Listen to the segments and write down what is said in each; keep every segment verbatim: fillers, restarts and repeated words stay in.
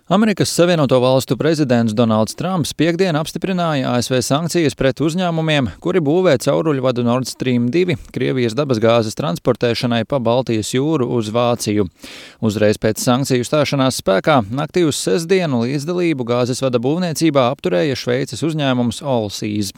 Amerikas Savienoto Valstu prezidents Donalds Trumps piektdien apstiprināja A S V sankcijas pret uzņēmumiem, kuri būvē cauruļvadu Nord Stream divi Krievijas dabasgāzes transportēšanai pa Baltijas jūru uz Vāciju. Uzreiz pēc sankciju stāšanās spēkā naktī uz sestdienu līdzdalību gāzes vada būvniecībā apturēja Šveices uzņēmums Allseas.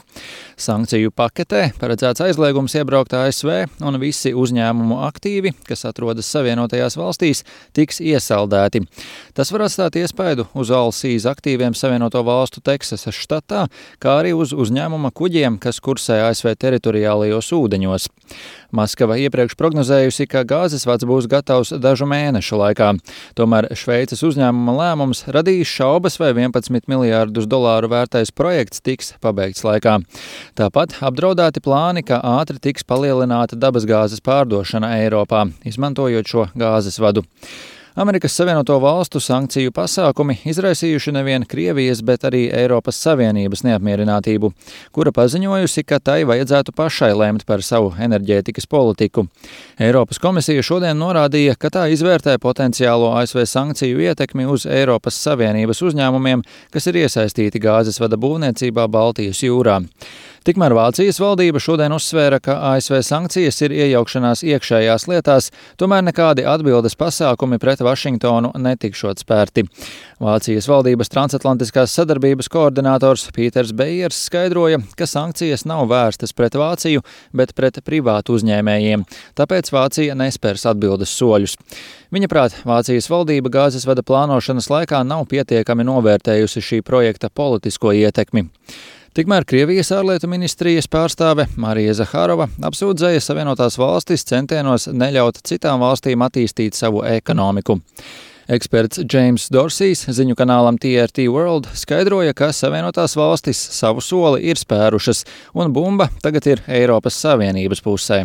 Sankciju paketē paredzēts aizliegums iebraukt A S V un visi uzņēmumu aktīvi, kas atrodas Savienotajās valstīs, tiks iesaldēti. Tas var atstāt iespēju uz Allseas aktīviem Savienoto Valstu Teksasas štatā, kā arī uz uzņēmuma kuģiem, kas kursē A S V teritoriālajos ūdeņos. Maskava iepriekš prognozējusi, ka gāzes vads būs gatavs dažu mēnešu laikā. Tomēr Šveices uzņēmuma lēmums radīs šaubas, vai vienpadsmit miljārdus dolāru vērtais projekts tiks pabeigts laikā. Tāpat apdraudēti plāni, ka ātri tiks palielināta dabasgāzes pārdošana Eiropā, izmantojot šo gāzes vadu. Amerikas Savienoto Valstu sankciju pasākumi izraisījuši nevien Krievijas, bet arī Eiropas Savienības neapmierinātību, kura paziņojusi, ka tai vajadzētu pašai lemt par savu enerģētikas politiku. Eiropas komisija šodien norādīja, ka tā izvērtē potenciālo A S V sankciju ietekmi uz Eiropas Savienības uzņēmumiem, kas ir iesaistīti gāzes vada būvniecībā Baltijas jūrā. Tikmēr Vācijas valdība šodien uzsvēra, ka A S V sankcijas ir iejaukšanās iekšējās lietās, tomēr nekādi atbildes pasākumi pret Vašingtonu netikšot spērti. Vācijas valdības transatlantiskās sadarbības koordinators Pīters Bejers skaidroja, ka sankcijas nav vērstas pret Vāciju, bet pret privātu uzņēmējiem, tāpēc Vācija nespērs atbildes soļus. Viņa prāt, Vācijas valdība gāzes vada plānošanas laikā nav pietiekami novērtējusi šī projekta politisko ietekmi. Tikmēr Krievijas ārlietu ministrijas pārstāve Marija Zahārova apsūdzēja Savienotās valstis centienos neļaut citām valstīm attīstīt savu ekonomiku. Eksperts James Dorsijs ziņu kanālam T R T World skaidroja, ka Savienotās valstis savu soli ir spērušas, un bumba tagad ir Eiropas Savienības pusē.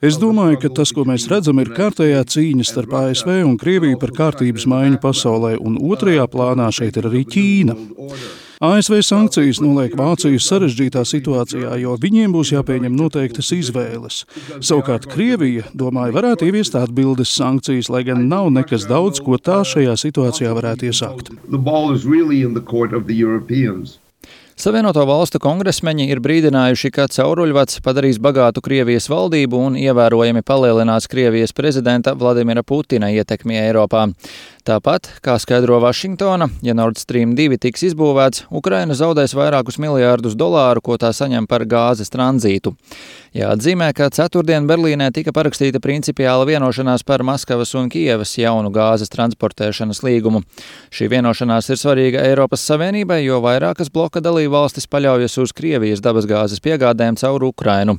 Es domāju, ka tas, ko mēs redzam, ir kārtējā cīņa starp A S V un Krieviju par kārtības maiņu pasaulē, un otrajā plānā šeit ir arī Ķīna. A S V sankcijas noliek Vāciju sarežģītā situācijā, jo viņiem būs jāpieņem noteiktas izvēles. Savukārt Krievija, domāju, varētu ieviest atbildes sankcijas, lai gan nav nekas daudz, ko tā šajā situācijā varētu iesākt. Savienoto Valstu kongresmeņi ir brīdinājuši, ka cauruļvads padarīs bagātu Krievijas valdību un ievērojami palielinās Krievijas prezidenta Vladimira Putina ietekmi Eiropā. Tāpat, kā skaidro Vašingtona, ja Nord Stream divi tiks izbūvēts, Ukraina zaudēs vairākus miljārdus dolāru, ko tā saņem par gāzes tranzītu. Jāatzīmē, ka ceturtdien Berlīnē tika parakstīta principiāla vienošanās par Maskavas un Kijevas jaunu gāzes transportēšanas līgumu. Šī vienošanās ir svarīga Eiropas Savienībai, jo vairākas bloka dalībvalstis paļaujas uz Krievijas dabasgāzes piegādēm caur Ukrainu.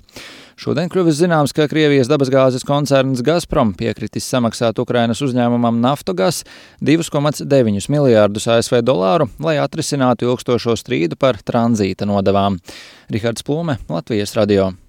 Šodien kļuvis zināms, ka Krievijas dabasgāzes koncerns Gazprom piekritis samaksāt Ukrainas uzņēmumam Naftogas divus komats deviņus miljārdus A S V dolāru, lai atrisinātu ilgstošo strīdu par tranzīta nodevām. Rihards Plūme, Latvijas radio.